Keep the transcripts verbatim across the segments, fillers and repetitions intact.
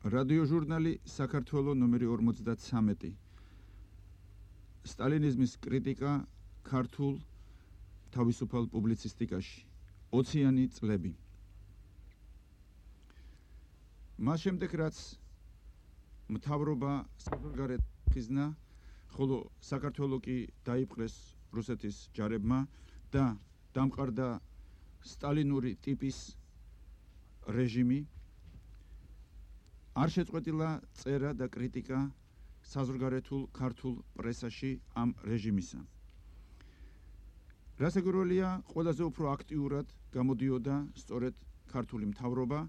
რადიოჟურნალი საქართველო ნომერი ორმოცდათსამეტი. სტალინიზმის კრიტიკა ქართულ თავისუფალ პუბლიცისტიკაში. ოციანი წლები. მას შემდეგ რაც მთავრობა საზღვარგარეთ ხიზნა, ხოლო საქართველო კი დაიპყრეს რუსეთის ჯარებმა და დამყარდა სტალინური ტიპის რეჟიმი, არ შეწყვეტილა წერა და კრიტიკა საზღვარგარეთულ ქართულ პრესაში ამ რეჟიმისა. რასაკვირველია, ყველაზე უფრო აქტიურად გამოდიოდა სწორედ ქართული მთავრობა,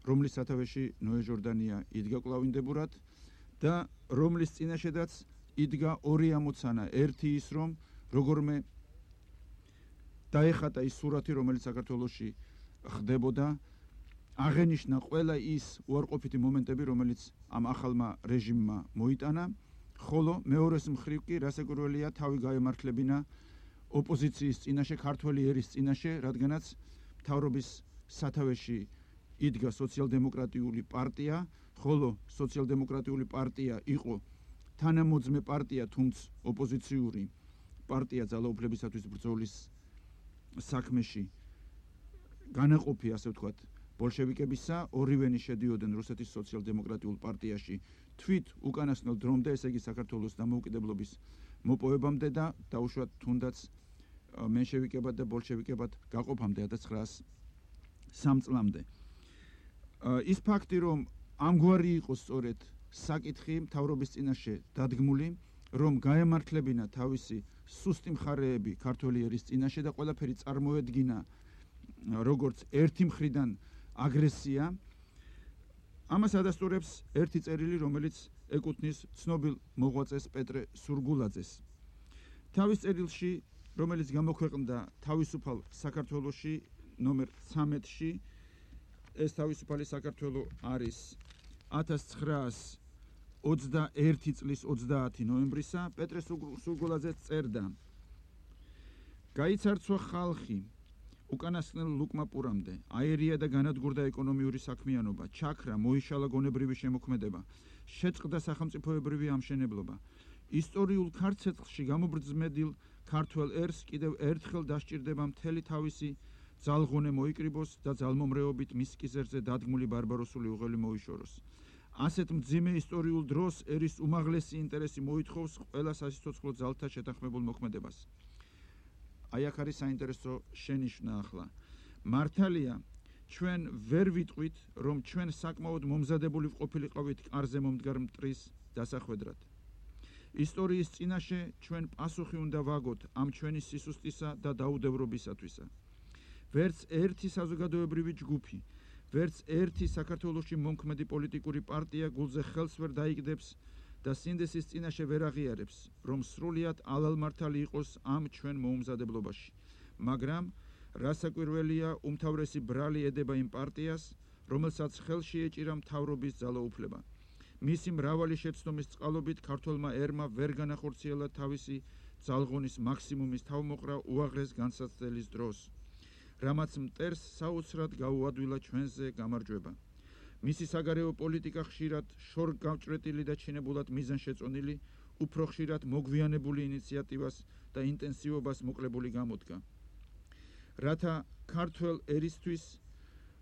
რომლის სათავეში ნოე ჟორდანია იდგა კვლავინდებურად და რომლის წინაშედაც იდგა ორი ამოცანა. ერთი ის, რომ როგორმე დაეხატა ის სურათი, რომელიც საქართველოში ხდებოდა, აღენიშნა ყველა ის უარყოფითი მომენტები, რომელიც ამ ახალმა რეჟიმმა მოიტანა, ხოლო მეორეს მხრივ კი რასაკვირველია თავი გაემართლებინა ოპოზიციის წინაშე, ქართველი ერის წინაშე, რადგანაც მთავრობის სათავეში იდგა სოციალ-დემოკრატიული პარტია, ხოლო სოციალ-დემოკრატიული პარტია იყო თანამოძმე პარტია, თუმცა ოპოზიციური პარტია ძალაუფლებისათვის ბრძოლის საქმეში განაყოფი, ასე ვთქვათ, ბოლშევიკებისა, ორივენი შედიოდნენ რუსეთის სოციალ-დემოკრატიულ პარტიაში თვით უკანასკნელ დრომდე, ესე იგი საქართველოს დამოუკიდებლობის მოპოვებამდე და დაუშვათ თუნდაც მენშევიკებად და ბოლშევიკებად გაყოფამდე ათას ცხრაასი სამი წლამდე. ის ფაქტი, რომ ამგვარი იყო სწორედ საკითხი მთავრობის წინაშე დადგმული, რომ გაემართლებინა თავისი სუსტი მხარეები ქართველი ერის წინაშე და ყველაფერი წარმოედგინა როგორც ერთი მხრიდან აგრესია, ამას ადასტურებს ერთი წერილი, რომელიც ეკუთვნის ცნობილ მოღვაწეს პეტრე სურგულაძეს. თავის წერილში, რომელიც გამოქვეყნდა თავისუფალ საქართველოში ნომერ ცამეტში, ეს თავისუფალი საქართველო არის ათას ცხრაასი ოცდაერთი წლის ოცდაათი ნოემბრისა, პეტრე სურგულაძე წერდა: გაიცარცვა ხალხი უკანასკნელ ლუკმაპურამდე, აერია და განადგურდა ეკონომიური საქმიანობა, ჩაქრა, მოიშალა გონებრივი შემოქმედება, შეწყდა სახელმწიფოებრივი ამშენებლობა. ისტორიულ ქარცეცხლში გამობრძმედილ ქართველ ერს კიდევ ერთხელ დასჭირდება მთელი თავისი ძალღონე მოიკრიბოს და ძალმომრეობით მის კისერზე დადგმული ბარბაროსული უღელი მოიშოროს. ასეთ მძიმე ისტორიულ დროს ერის უმაღლესი ინტერესი მოითხოვს ყველა სასიცოცხლო ძალთა შეთანხმებულ მოქმედებას. აი აქ არის საინტერესო შენიშვნა ახლა. მართალია, ჩვენ ვერ ვიტყვით, რომ ჩვენ საკმაოდ მომზადებული ყოფილიყავით კარზე მომდგარ მტრის დასახვედრად. ისტორიის წინაშე ჩვენ პასუხი უნდა ვაგოთ ამ ჩვენი სისუსტისა და დაუდევრობისათვისა. ვერც ერთი საზოგადოებრივი ჯგუფი, ვერც ერთი საქართველოში მომქმედი პოლიტიკური პარტია გულზე ხელს ვერ დაიგდებს და სინდესის წინაშე ვერ აღიარებს, რომ სრულიად ალალმართალი იყოს ამ ჩვენ მოუმზადებლობაში. მაგრამ რასაკვირველია, უმთავრესი ბრალი ედება იმ პარტიას, რომელსაც ხელში ეჭირა მთავრობის ძალაუფლება. მისი მრავალი შეცდომის წყალობით ქართველმა ერმა ვერ განახორციელა თავისი ძალღონის მაქსიმუმის თავმოყრა უაღრეს განსაცდელის დროს, რამაც მტერს საოცრად გაუადვილა ჩვენზე გამარჯვება. მისი საგარეო პოლიტიკა ხშირად შორგავჭრეტილი და ჩინებულად მიზანშეწონილი, უფრო ხშირად მოგვიანებული ინიციატივას და ინტენსივობას მოკლებული გამოდგა. რათა ქართველ ერისთვის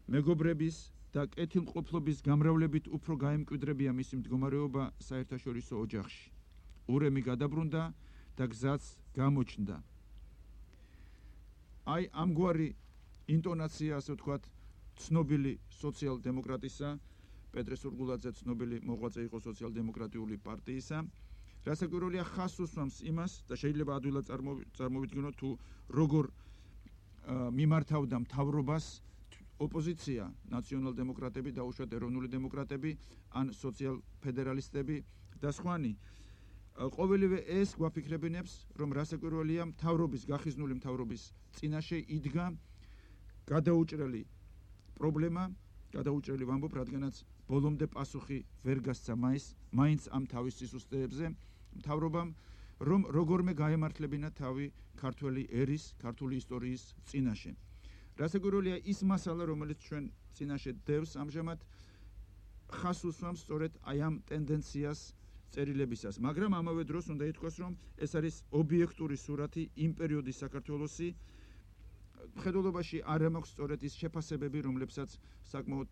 მეგობრების და კეთილმყოფლობის გამრავლებით უფრო გაემკვიდრებია მისი მდგომარეობა საერთაშორისო ოჯახში. ურემი გადაბრუნდა და გზაც გამოჩნდა. აი ამგვარი ინტონაცია, ასე ვთქვათ, ცნობილი სოციალ-დემოკრატისა, პეტრე სურგულაძე ცნობილი მოღვაწე იყო სოციალ-დემოკრატიული პარტიისა, რასაკვირველია ხაზს უსვამს იმას და შეიძლება ადვილად წარმოვიდგინოთ თუ როგორ მიმართავდა მთავრობას ოპოზიცია, ნაციონალ-დემოკრატები, დაუშვათ ეროვნული დემოკრატები, ან სოციალ-ფედერალისტები და სხვანი. ყოველივე ეს გვაფიქრებინებს, რომ რასაკვირველია მთავრობის, გახიზნული მთავრობის წინაშე იდგა გადაუჭრელი პრობლემა, გადაუჭრელი ვამბობ, რადგანაც ბოლომდე პასუხი ვერ გასცა მაინც, მაინც ამ თავის სისუსტეებზე მთავრობამ, რომ როგორმე გაემართლებინა თავი ქართველი ერის, ქართული ისტორიის წინაშე. რასაკვირველია ის მასალა, რომელიც ჩვენ წინაშე დევს ამჟამად, ხას უსვამს სწორედ აი ამ ტენდენციას წერილებისას, მაგრამ ამავე დროს უნდა ითქვას, რომ ეს არის ობიექტური სურათი იმ პერიოდის საქართველოსი. მხედველობაში არ მაქვს სწორედ ის შეფასებები, რომლებსაც საკმაოდ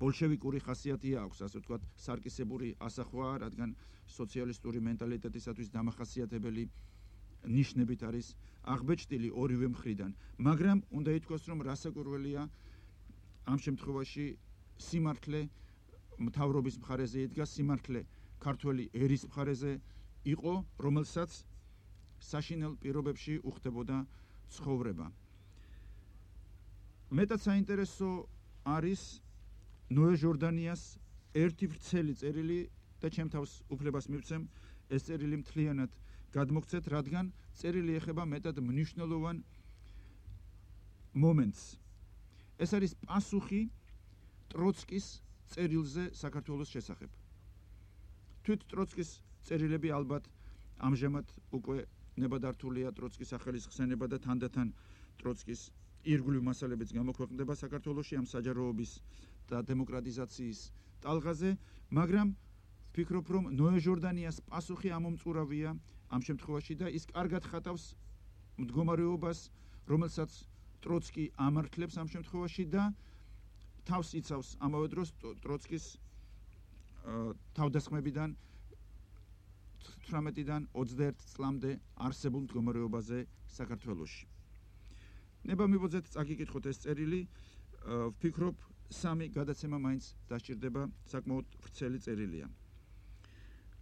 ბოლშევიკური ხასიათი აქვს, ასე ვთქვათ, სარკისებური ასახვა, რადგან სოციალისტური მენტალიტეტისათვის დამახასიათებელი ნიშნებით არის აღბეჭდილი ორივე მხრიდან. მაგრამ უნდა ითქვას, რომ რასაკვირველია ამ შემთხვევაში სიმართლე მთავრობის მხარეზე იდგა, სიმართლე ქართველი ერის მხარეზე იყო, რომელსაც საშინელ პირობებში უხდებოდა ცხოვრება. მეტად საინტერესო არის ნოე ჟორდანიას ერთი ვრცელი წერილი და ჩემ თავს უფლებას მივცემ ეს წერილი მთლიანად გადმოგცეთ, რადგან წერილი ეხება მეტად მნიშვნელოვან მომენტს. ეს არის პასუხი ტროცკის წერილზე საქართველოს შესახებ. თვით ტროცკის წერილები ალბათ ამჟამად უკვე ნებადართულია ტროცკის ახალისხსენება და თანდათან ტროცკის ირგვლივ მასალებიც გამოქვეყნდება საქართველოში ამ საჯაროობის და დემოკრატიზაციის ტალღაზე, მაგრამ ვფიქრობ, რომ ნოე ჟორდანიას პასუხი ამომწურავია ამ შემთხვევაში და ის კარგად ხატავს მდგომარეობას, რომელსაც ტროცკი ამართლებს ამ შემთხვევაში და თავს იცავს ამავე დროს ტროცკის თავდასხმებიდან თვრამეტიდან ოცდაერთ წლამდე არსებულ მდგომარეობაზე საქართველოში. ნება მივოძეთ წაგიკითხოთ ეს წერილი, ვფიქრობ სამი გადაცემა მაინც დასჭირდება, საკმაოდ ვრცელი წერილია.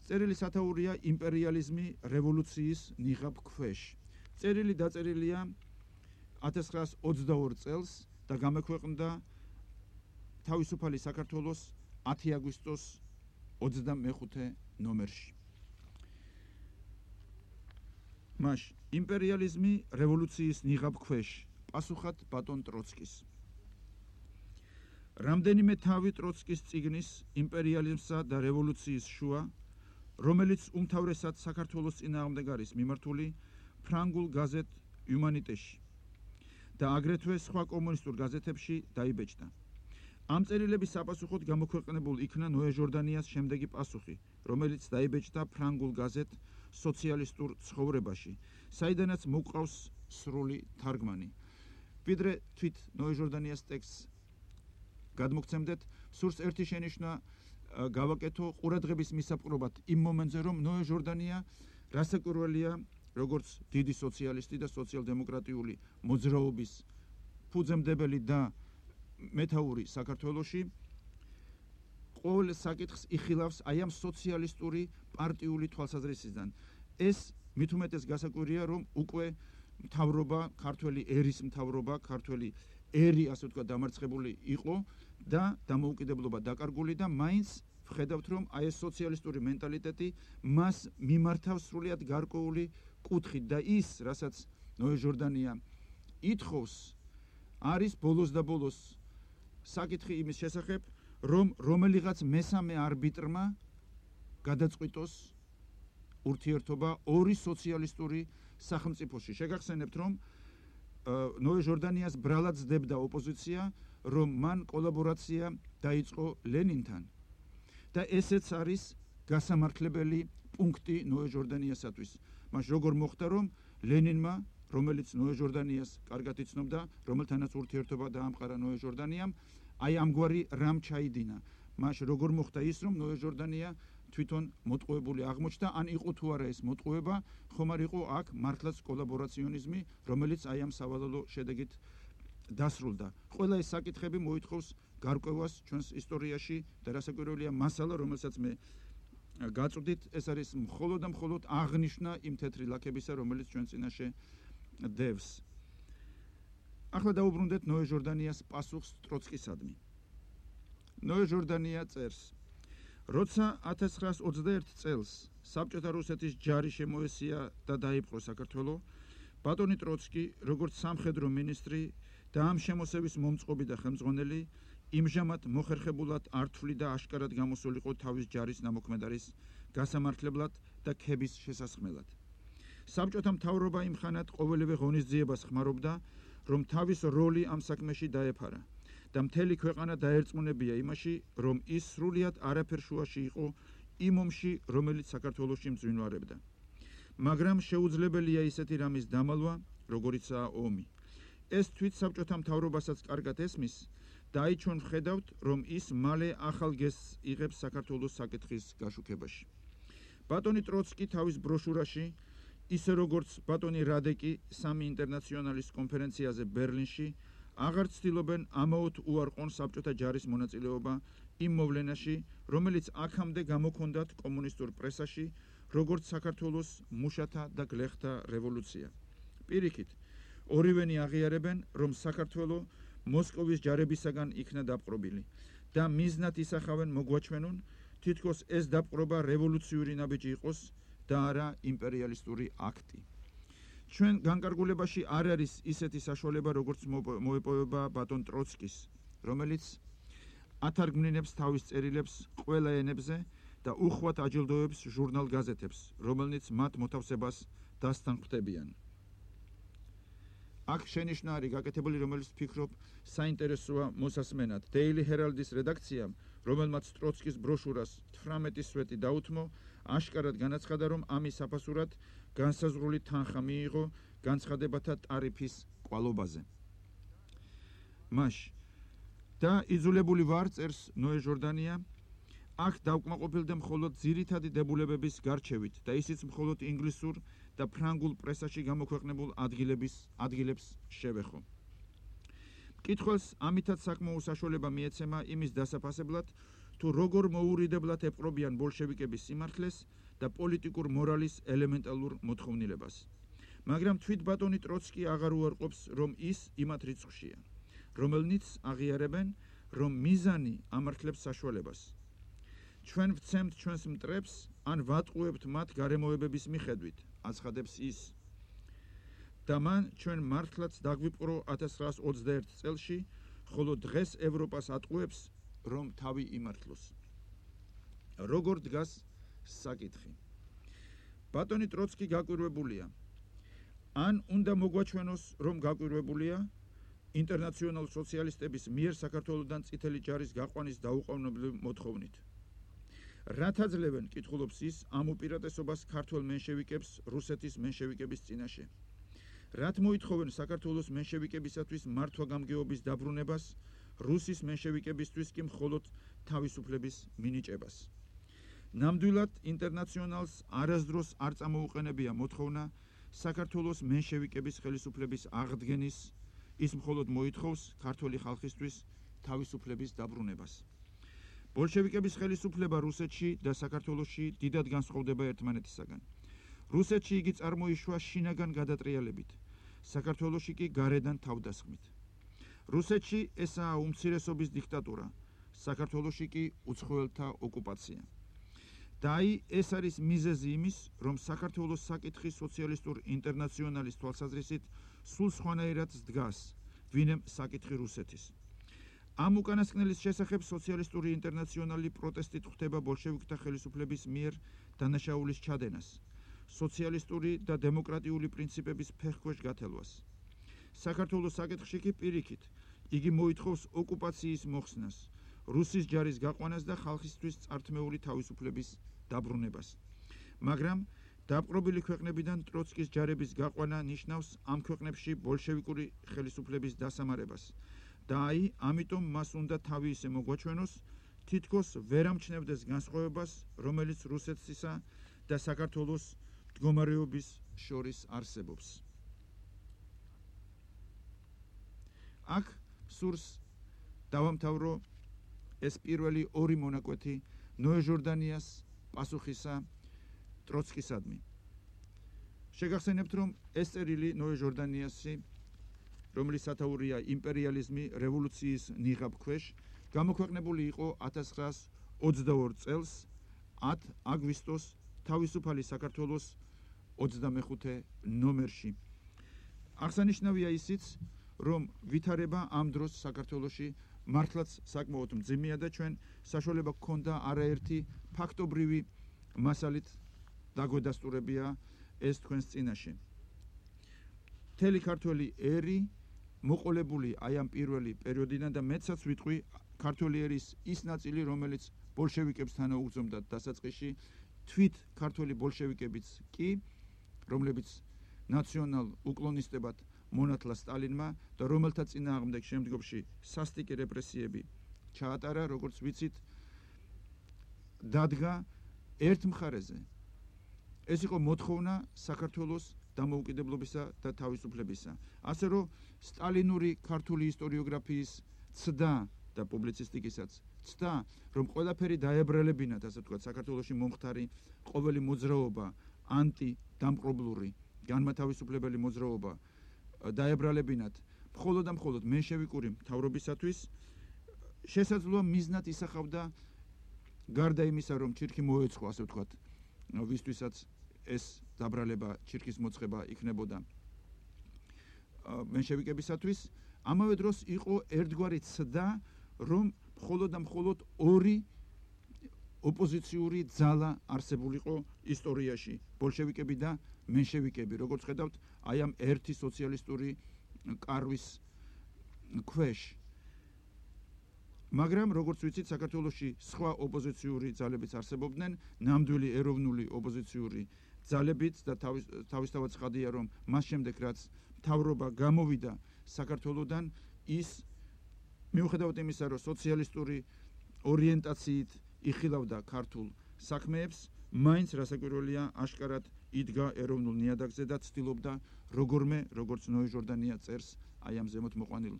წერილი სათაურია იმპერიალიზმი რევოლუციის ნიღაბ ქვეშ. წერილი დაწერილია ათას ცხრაას ოცდაორ წელს და გამოქვეყნდა თავისუფალი საქართველოს ათი აგვისტოს ოცდამეხუთე ნომერში. მაშ იმპერიალიზმი რევოლუციის ნიღაბ ქვეშ, პასუხად ბატონ ტროცკის. რამდენიმე თავი ტროცკის წიგნის იმპერიალიზმსა და რევოლუციის შუა, რომელიც უმთავრესად საქართველოს წინააღმდეგ არის მიმართული ფრანგულ გაზეთ იუმანიტეში და აგრეთვე სხვა კომუნისტურ გაზეთებში დაიბეჭდა. ამ წერილების საპასუხოდ გამოქვეყნებულ იქნა ნოე ჟორდანიას შემდეგი პასუხი, რომელიც დაიბეჭდა ფრანგულ გაზეთ სოციალისტურ ცხოვრებაში, საიდანაც მოყავს სრული თარგმანი. ვიდრე თვით ნოე ჟორდანიას ტექსტს გადმოგცემდეთ, სურს ერთი შენიშვნა გავაკეთო ყურადღების მისაპყრობად იმ მომენტზე, რომ ნოე ჟორდანია რასაკვირველია, როგორც დიდი სოციალისტი და სოციალ-დემოკრატიული მოძრაობის ფუძემდებელი და მეთაური საქართველოში, ყოველ საკითხს იხილავს აი ამ სოციალისტური პარტიული თვალსაზრისიდან. ეს მით უმეტეს გასაკვირია, რომ უკვე მთავრობა, ქართველი ერის მთავრობა, ქართველი ერი, ასე ვთქვათ, დამარცხებული იყო და დამოუკიდებლობა დაკარგული და მაინც ვხედავთ, რომ აი ეს სოციალისტური მენტალიტეტი მას მიმართავს სრულიად გარკვეული კუთხით და ის, რასაც ნოე ჟორდანია ითხოვს, არის ბოლოს და ბოლოს საკითხი იმის შესახებ, რომ რომელიღაც მესამე არბიტრმა გადაწყვიტოს ურთიერთობა ორი სოციალისტური სახელმწიფოში. შეგახსენებთ, რომ ნოე ჟორდანიას ბრალად ძდებდა ოპოზიცია, რომ მან კოლაბორაცია დაიწყო ლენინთან და ესეც არის გასამართლებელი პუნქტი ნოე ჟორდანიასათვის. მას როგორ მოხდა, რომ ლენინმა, რომელიც ნოე ჟორდანიას კარგად იცნობდა, რომელთანაც ურთიერთობა დაამყარა ნოე ჟორდანიამ, აი ამგვარი რამ ჩაიდინა. მას როგორ მოხდა ის, რომ ნოე ჟორდანია თვითონ მოტყუებული აღმოჩნდა, ან იყო თუ არა ეს მოტყუება, ხომ არ იყო აქ მართლაც კოლაბორაციონიზმი, რომელიც აი ამ სავალალო შედეგით დასრულდა. ყველა ეს საკითხები მოითხოვს გარკვევას ჩვენს ისტორიაში და რასაკვირველია მასალა, რომელსაც მე გაწვდით, ეს არის მხოლოდ და მხოლოდ აღნიშვნა იმ თეთრი ლაქებისა, რომელიც ჩვენ წინაშე დევს. ახლა დაუბრუნდეთ ნოე ჟორდანიას პასუხს ტროცკისადმი. ნოე ჟორდანია წერს: როცა ათას ცხრაას ოცდაერთ წელს საბჭოთა რუსეთის ჯარი შემოესია და დაიპყრო საქართველო, ბატონი ტროცკი, როგორც სამხედრო მინისტრი და ამ შემოსევის მომწყობი და ხელმძღვანელი, იმჟამად მოხერხებულად ართვლი და აშკარად გამოსულიყო თავის ჯარის ნამოქმედარის გასამართლებლად და ქების შესასხმელად. საბჭოთა მთავრობა იმხანად ყოველივე ღონისძიებას ხმარობდა, რომ თავის როლი ამ საქმეში დაეფარა და მთელი ქვეყანა დაერწმუნებია იმაში, რომ ის სრულიად არაფერ შუაში იყო იმ ომში, რომელიც საქართველოში მძვინვარებდა. მაგრამ შეუძლებელია ისეთი რამის დამალვა, როგორიცაა ომი. ეს თვით საბჭოთა მთავრობასაც კარგად ესმის და აი ჩვენ ვხედავთ, რომ ის მალე ახალ გესტს იღებს საქართველოს საკითხის გაშუქებაში. ბატონი ტროცკი თავის ბროშურაში, ისე როგორც ბატონი რადეკი სამი ინტერნაციონალის კონფერენციაზე ბერლინში, აღარ ცდილობენ ამაოდ უარყონ საბჭოთა ჯარის მონაწილეობა იმ მოვლენაში, რომელიც აქამდე გამოქონდათ კომუნისტურ პრესაში, როგორც საქართველოს მუშათა და გლეხთა რევოლუცია. პირიქით, ორივენი აღიარებენ, რომ საქართველო მოსკოვის ჯარებისაგან იქნა დაპყრობილი და მიზნად ისახავენ მოგვაჩვენონ, თითქოს ეს დაპყრობა რევოლუციური ნაბიჯი იყოს და არა იმპერიალისტური აქტი. ჩვენ განკარგულებაში არ არის ისეთი საშუალება, როგორც მოეპოვება ბატონ ტროცკის, რომელიც ათარგმნინებს თავის წერილებს ყველა ენებზე და უხვად აჯილდოებს ჟურნალ გაზეთებს, რომელნიც მათ მოთავსებას დასთან ხვდებიან. აქ შენიშვნა არის გაკეთებული, რომელიც ვფიქრობ საინტერესოა მოსასმენად. Daily Herald-ის რედაქციამ, რომელმაც ტროცკის ბროშურას თვრამეტი სვეტი დაუთმო, აშკარად განაცხადა, რომ ამის საფასურად განსაზღვრული თანხა მიიღო განცხადებათა ტარიფის კვალობაზე. მაშ და იძულებული ვარ, წერს ნოე ჟორდანია, აქ დავკმაყოფილდე მხოლოდ ძირითადი დებულებების გარჩევით და ისიც მხოლოდ ინგლისურ და ფრანგულ პრესაში გამოქვეყნებულ ადგილების ადგილებს შევეხო. მკითხველს ამითაც საკმაო საშუალება მიეცემა იმის დასაფასებლად, თუ როგორ მოურიდებლად ეპყრობიან ბოლშევიკების სიმართლეს და პოლიტიკურ მორალის ელემენტალურ მოთხოვნილებას. მაგრამ თვით ბატონი ტროცკი აღარ უარყოფს, რომ ის იმათ რიცხვშია, რომელნიც აღიარებენ, რომ მიზანი ამართლებს საშუალებას. ჩვენ ვცემთ ჩვენს მტრებს, ან ვატყუებთ მათ გარემოებების მიხედვით, აცხადებს ის. და მან ჩვენ მართლაც დაგვიპყრო ათას ცხრაას ოცდაერთ წელში, ხოლო დღეს ევროპას ატყუებს, რომ თავი იმართლოს. როგორ დგას საკითხი? ბატონი ტროცკი გაკვირვებულია. ან უნდა მოგვაჩვენოს, რომ გაკვირვებულია ინტერნაციონალ სოციალისტების მიერ საქართველოდან წითელი ჯარის გაყვანის დაუყოვნებლივ მოთხოვნით. რაც აძლევენ, კითხულობს ის, ამ უპირატესობას ქართველ მენშევიკებს რუსეთის მენშევიკების წინაშე. რაც მოითხოვენ საქართველოს მენშევიკებისათვის მართვა-გამგეობის დაბრუნებას, რუსის მენშევიკებისთვის კი მხოლოდ თავისუფლების მინიჭებას. ნამდვილად ინტერნაციონალს არასდროს არ წამოუყენებია მოთხოვნა საქართველოს მენშევიკების ხელისუფლების აღდგენის, ის მხოლოდ მოითხოვს ქართული ხალხისთვის თავისუფლების დაბრუნებას. ბოლშევიკების ხელისუფლება რუსეთში და საქართველოში დიდად განსხვავდება ერთმანეთისაგან. რუსეთში იგი წარმოიშვა შინაგან გადატრიალებით, საქართველოში კი გარედან თავდასხმით. რუსეთში ესაა უმცირესობის დიქტატურა, საქართველოში კი უცხოელთა ოკუპაცია. და აი ეს არის მიზეზი იმის, რომ საქართველოს საკითხი სოციალისტურ ინტერნაციონალის თვალსაზრისით სულ სხვანაირად დგას, ვინემ საკითხი რუსეთის. ამ უკანასკნელის შესახებ სოციალისტური ინტერნაციონალი პროტესტით ხვდება ბოლშევიკთა ხელისუფლების მიერ დანაშაულის ჩადენას, სოციალისტური და დემოკრატიული პრინციპების ფეხქვეშ გათელვას. საქართველოს საკითხში კი პირიქით, იგი მოითხოვს ოკუპაციის მოხსნას, რუსის ჯარის გაყვანას და ხალხისთვის წართმეული თავისუფლების დაბრუნებას. მაგრამ დაპყრობილი ქვეყნებიდან ტროცკის ჯარების გაყვანა ნიშნავს ამ ქვეყნებში ბოლშევიკური ხელისუფლების დასამარებას. და აი, ამიტომ მას უნდა თავი ისე მოგვაჩვენოს, თითქოს ვერ ამჩნევდეს განსხვავებას, რომელიც რუსეთსა და საქართველოს მდგომარეობის შორის არსებობს. აქ სურს დავამთავრო ეს პირველი ორი მონაკვეთი ნოე ჟორდანიას პასუხისა ტროცკისადმი. შეგახსენებთ, რომ ეს წერილი ნოე ჟორდანიასი, რომლის სათაურია იმპერიალიზმი რევოლუციის ნიღაბ ქვეშ, გამოქვეყნებული იყო ათას ცხრაას ოცდაორ წელს ათ აგვისტოს თავისუფალი საქართველოს ოცდამეხუთე ნომერში. აღსანიშნავია ისიც, რომ ვითარება ამ დროს საქართველოში მართლაც საკმაოდ მძიმეა და ჩვენ საშუალება გქონდა არაერთი ფაქტობრივი მასალით დაგვედასტურებია ეს თქვენს წინაშე. მთელი ქართველი ერი მოყოლებული აი ამ პირველი პერიოდიდან და მეცაც ვიტყვი ქართველი ერის ის ნაწილი, რომელიც ბოლშევიკებს თანაუგრძნობდა დასაწყისში, თვით ქართველი ბოლშევიკებიც კი, რომლებიც ნაციონალ უკლონისტებად მონათლა სტალინმა და რომელთა წინააღმდეგ შემდგომში სასტიკი რეპრესიები ჩაატარა, როგორც ვიცით, დადგა ერთ მხარეზე. ეს იყო მოთხოვნა საქართველოს დამოუკიდებლობისა და თავისუფლებისა. ასე რომ სტალინური ქართული ისტორიოგრაფიის ცდა და პუბლიცისტიკისაც ცდა, რომ ყველაფერი დაებრალებინათ, ასე ვთქვათ, საქართველოში მომხდარი ყოველი მოძრაობა, ანტიდამპყრობლური, განმათავისუფლებელი მოძრაობა დაებრალებინათ მხოლოდ და მხოლოდ მენშევიკური მთავრობისათვის, შესაძლოა მიზნად ისახავდა გარდა იმისა, რომ ჩირქი მოეწყო, ასე ვთქვათ, ვისთვისაც ეს დაბრალება, ჩირქის მოწყება იქნებოდა მენშევიკებისათვის, ამავე დროს იყო ერთგვარი ცდა, რომ მხოლოდ და მხოლოდ ორი ოპოზიციური ძალა არსებულიყო ისტორიაში, ბოლშევიკები და მენშევიკები, როგორც ხედავთ, აი ამ ერთი სოციალისტური კარვის ქვეშ. მაგრამ როგორც ვიცით, საქართველოში სხვა ოპოზიციური ძალებიც არსებობდნენ, ნამდვილი ეროვნული ოპოზიციური ძალებიც და თავისთავად ცხადია, რომ მას შემდეგ რაც მთავრობა გამოვიდა საქართველოდან, ის მიუხედავად იმისა, რომ სოციალისტური ორიენტაციით იხილავდა ქართულ საქმეებს, მაინც რასაკვირველია, აშკარად იდგა ეროვნულ ნიადაგზე და ცდილობდა როგორმე, როგორც ნოე ჟორდანია წერს აი ამ ზემოთ მოყვანილ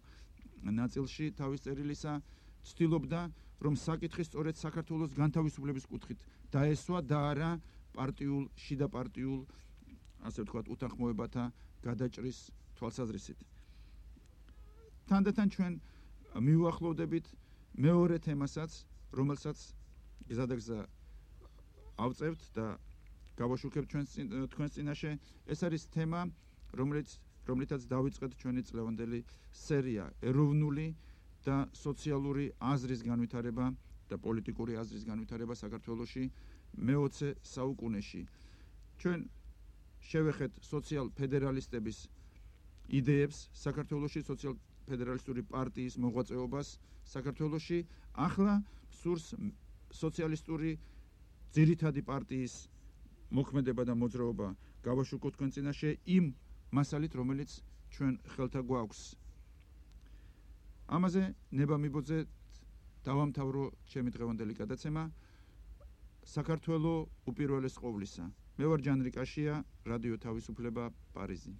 ნაწილში თავის წერილისა, ცდილობდა, რომ საკითხი სწორედ საქართველოს განთავისუფლების კუთხით დაესვა და არა პარტიულ, შიდა პარტიულ, ასე ვთქვათ, უთანხმოებათა გადაჭრის თვალსაზრისით. თანდათან ჩვენ მივუახლოვდებით მეორე თემასაც, რომელსაც გზადაგზა ავწევთ და გავაშუქებთ თქვენს წინაშე. ეს არის თემა, რომელიც რომლითაც დავიწყეთ ჩვენი წლევანდელი სერია, ეროვნული და სოციალური აზრის განვითარება და პოლიტიკური აზრის განვითარება საქართველოში მეოცე საუკუნეში. ჩვენ შევეხეთ სოციალ-ფედერალისტების იდეებს საქართველოში, სოციალ-ფედერალისტური პარტიის მოღვაწეობას საქართველოში, ახლა სურს სოციალისტური ძირითადი პარტიის მოქმედება და მოძრაობა გავაშუქოთ თქვენ წინაშე იმ მასალით, რომელიც ჩვენ ხელთა გვაქვს. ამაზე ნება მიბოძეთ დავამთავრო ჩემი დღევანდელი გადაცემა საქართველო უპირველეს ყოვლისა. მე ვარ ჯანრი კაშია, რადიო თავისუფლება, პარიზი.